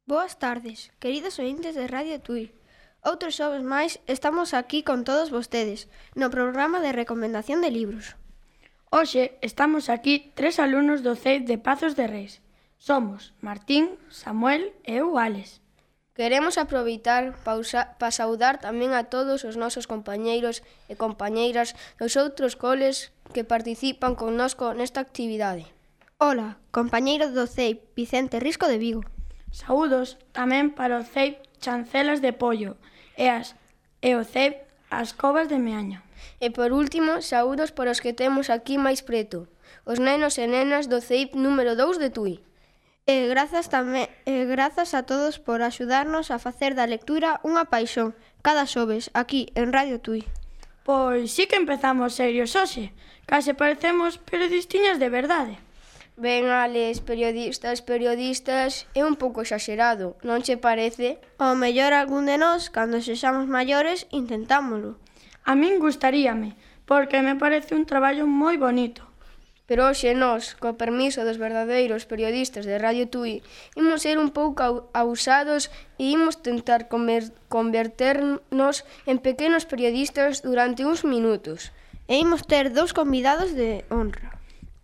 Boas tardes, queridos ointes de Radio Tui. Outros xoves máis estamos aquí con todos vostedes no programa de recomendación de libros. Hoxe estamos aquí 3 alumnos do CEIP de Pazos de Reis. Somos Martín, Samuel e eu, Ales. Queremos aproveitar para saudar tamén a todos os nosos compañeiros e compañeiras dos outros coles que participan connosco nesta actividade. Ola, compañeiro do CEIP, Vicente Risco de Vigo. Saúdos tamén para o CEIP Chancelas de Pollo e o CEIP As Covas de Meaño. E por último, saúdos para os que temos aquí máis preto, os nenos e nenas do CEIP número 2 de Tui. E grazas a todos por axudarnos a facer da lectura unha paixón cada xoves aquí en Radio Tui. Pois sí que empezamos serios hoxe, case parecemos periodistiñas de verdade. Ben, Ales, periodistas, é un pouco exagerado, non che parece? Ao mellor algún de nós, cando sexamos maiores, intentámolo. A min gustaríame, porque me parece un traballo moi bonito. Pero hoxe nós, co permiso dos verdadeiros periodistas de Radio Tui, imos ser un pouco ousados e imos tentar converternos en pequenos periodistas durante uns minutos. E imos ter dous convidados de honra.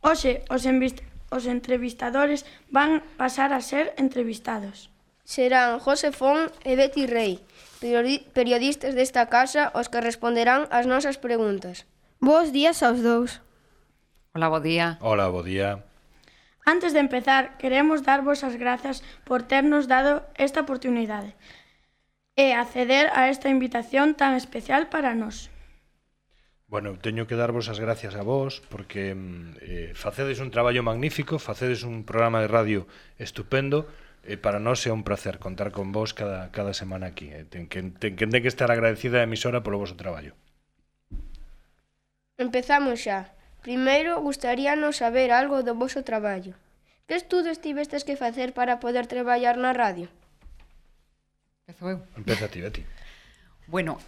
Hoxe, os entrevistadores van pasar a ser entrevistados. Serán José Fon e Betty Rey, periodistas desta casa, os que responderán ás nosas preguntas. Bos días aos dous. Hola, bo día. Hola, bo día. Antes de empezar, queremos darvos as grazas por ternos dado esta oportunidade e acceder a esta invitación tan especial para nós. Bueno, teño que darvos as gracias a vos porque facedes un traballo magnífico, facedes un programa de radio estupendo e para nós é un placer contar con vos cada semana aquí. Ten que estar agradecida a emisora polo vosso traballo. Empezamos xa. Primeiro, gustaríanos saber algo do voso traballo. Que estudos tivestes que facer para poder traballar na radio? Empezo eu. Empeza ti, Betty. Bueno,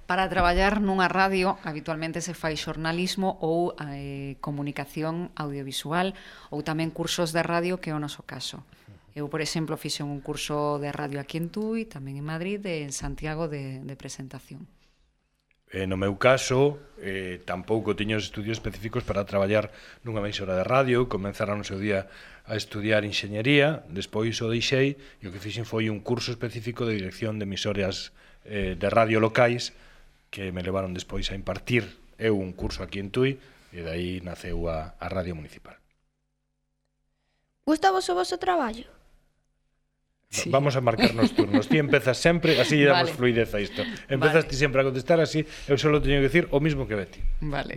para traballar nunha radio habitualmente se fai xornalismo ou comunicación audiovisual ou tamén cursos de radio, que é o noso caso. Eu, por exemplo, fixen un curso de radio aquí en Tui, tamén en Madrid e en Santiago de presentación. No meu caso, tampouco tiño estudios específicos para traballar nunha emisora de radio. Comenzara no seu día a estudiar enxeñería, despois o deixei e o que fixen foi un curso específico de dirección de emisoras de radio locais que me levaron despois a impartir eu un curso aquí en Tui e dai naceu a radio municipal. Gusta vos o voso traballo? Sí. Vamos a marcarnos turnos. Ti empezas sempre, así lle damos fluidez a isto. Empezas ti sempre a contestar, así eu só teño que decir o mismo que Betty. Vale.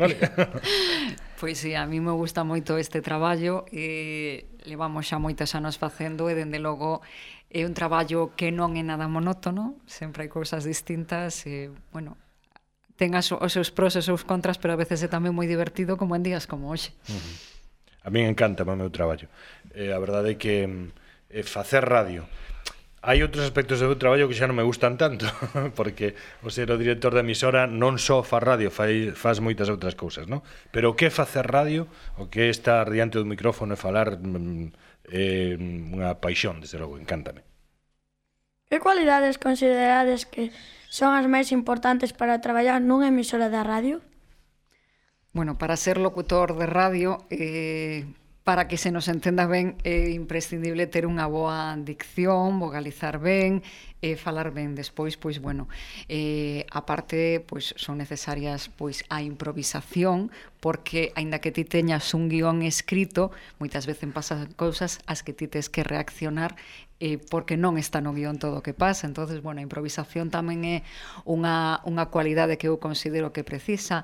Pois sí, a mí me gusta moito este traballo e levamos xa moitos anos facendo e dende logo é un traballo que non é nada monótono, sempre hai cousas distintas e, bueno, ten os seus pros e os seus contras, pero a veces é tamén moi divertido como en días como hoxe. A mí encanta o meu traballo. A verdade é que facer radio. Hai outros aspectos do meu traballo que xa non me gustan tanto, porque o ser o director da emisora non só faz radio, faz moitas outras cousas, non? Pero o que é facer radio, o que é estar diante do micrófono e falar, é unha paixón, desde logo, encántame. Que cualidades considerades que son as máis importantes para traballar nunha emisora de radio? Bueno, para ser locutor de radio, para que se nos entenda ben, é imprescindible ter unha boa dicción, vocalizar ben, falar ben. Despois, pois, bueno, aparte, pois, son necesarias, pois, a improvisación, porque, aínda que ti teñas un guión escrito, moitas veces pasan cousas as que ti tes que reaccionar porque non está no guión todo o que pasa. Entonces, bueno, a improvisación tamén é unha cualidade que eu considero que precisa.